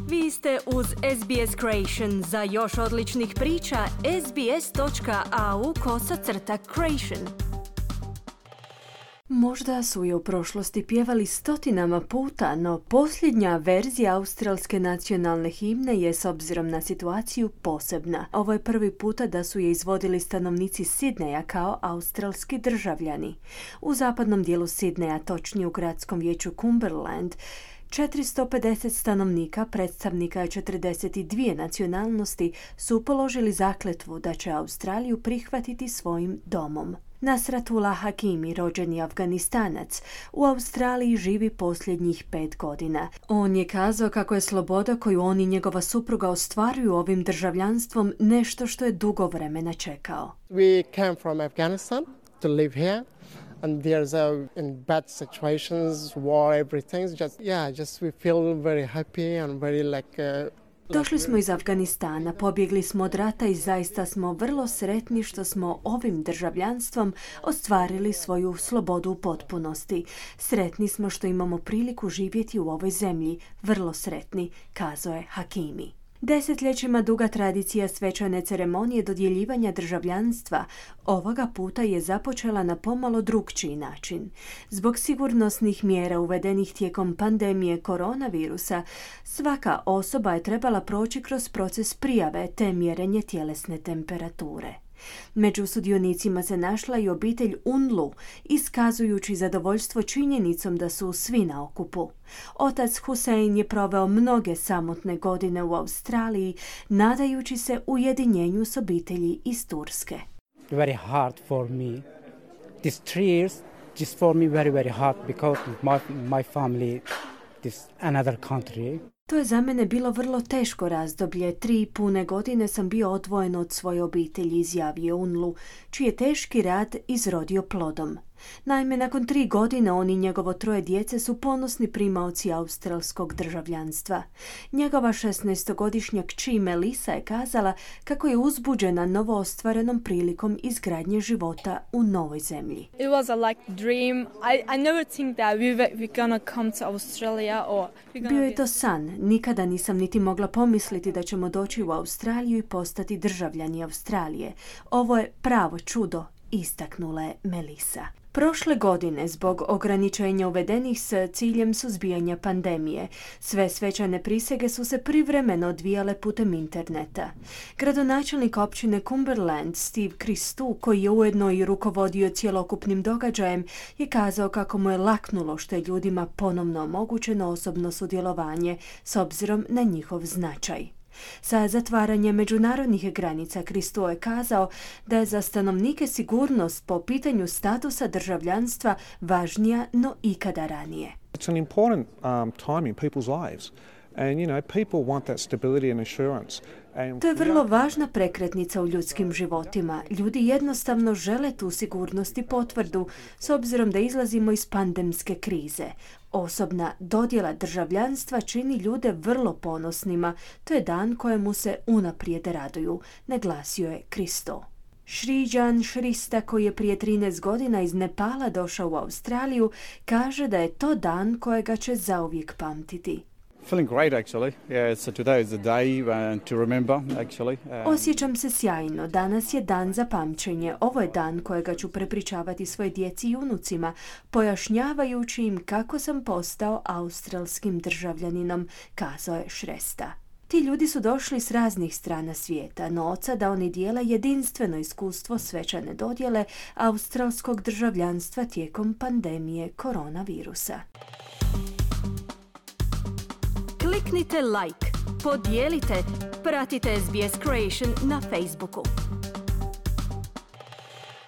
Vi ste uz SBS Creation. Za još odličnih priča, sbs.au/creation. Možda su je u prošlosti pjevali stotinama puta, no posljednja verzija australske nacionalne himne je s obzirom na situaciju posebna. Ovo je prvi puta da su je izvodili stanovnici Sidneja kao australski državljani. U zapadnom dijelu Sidneja, točnije u gradskom vijeću Cumberland, 450 stanovnika, predstavnika 42 nacionalnosti, su položili zakletvu da će Australiju prihvatiti svojim domom. Nasratullah Hakimi, rođeni Afganistanac, u Australiji živi posljednjih 5 godina. On je kazao kako je sloboda koju on i njegova supruga ostvaruju ovim državljanstvom nešto što je dugo vremena čekao. We came from Afghanistan to live here. And there's in bad situations, war, everything. Just we feel very happy and very Došli smo iz Afganistana, pobjegli smo od rata i zaista smo vrlo sretni što smo ovim državljanstvom ostvarili svoju slobodu u potpunosti. Sretni smo što imamo priliku živjeti u ovoj zemlji, vrlo sretni, kazao je Hakimi. Desetljećima duga tradicija svečane ceremonije dodjeljivanja državljanstva ovoga puta je započela na pomalo drukčiji način. Zbog sigurnosnih mjera uvedenih tijekom pandemije koronavirusa, svaka osoba je trebala proći kroz proces prijave te mjerenje tjelesne temperature. Među sudionicima se našla i obitelj Unlu, iskazujući zadovoljstvo činjenicom da su svi na okupu. Otac Hussein je proveo mnoge samotne godine u Australiji, nadajući se ujedinjenju s obitelji iz Turske. Very hard for me. These 3 years just for me very hard because my family is another country. To je za mene bilo vrlo teško razdoblje. 3 pune godine sam bio odvojen od svoje obitelji, izjavio Unlu, čiji je teški rad izrodio plodom. Naime, nakon 3 godine on i njegovo 3 djece su ponosni primaoci australskog državljanstva. Njegova 16-godišnja kći Melissa je kazala kako je uzbuđena novoostvarenom prilikom izgradnje života u novoj zemlji. It was a dream. I never think that we gonna come to Australia or Bio je to san. Nikada nisam niti mogla pomisliti da ćemo doći u Australiju i postati državljani Australije. Ovo je pravo čudo, istaknula je Melissa. Prošle godine, zbog ograničenja uvedenih s ciljem suzbijanja pandemije, sve svečane prisege su se privremeno odvijale putem interneta. Gradonačelnik općine Cumberland, Steve Christou, koji je ujedno i rukovodio cjelokupnim događajem, je kazao kako mu je laknulo što je ljudima ponovno omogućeno osobno sudjelovanje s obzirom na njihov značaj. Sa zatvaranjem međunarodnih granica Christou je kazao da je za stanovnike sigurnost po pitanju statusa državljanstva važnija no ikada ranije. It's an important time in people's lives. And people want that stability and assurance. To je vrlo važna prekretnica u ljudskim životima. Ljudi jednostavno žele tu sigurnost i potvrdu s obzirom da izlazimo iz pandemske krize. Osobna dodjela državljanstva čini ljude vrlo ponosnima. To je dan kojemu se unaprijed raduju, naglasio je Christou. Srijan Shrista, koji je prije 13 godina iz Nepala došao u Australiju, kaže da je to dan kojega će zauvijek pamtiti. Feeling great actually. Yeah, so today is the day to remember actually. Osjećam se sjajno. Danas je dan za pamćenje. Ovo je dan kojega ću prepričavati svoje djeci i unucima, pojašnjavajući im kako sam postao australskim državljaninom, kazao je Shresta. Ti ljudi su došli s raznih strana svijeta, no od sada oni dijele jedinstveno iskustvo svečane dodjele australskog državljanstva tijekom pandemije koronavirusa. Kliknite like, podijelite, pratite SBS Creation na Facebooku.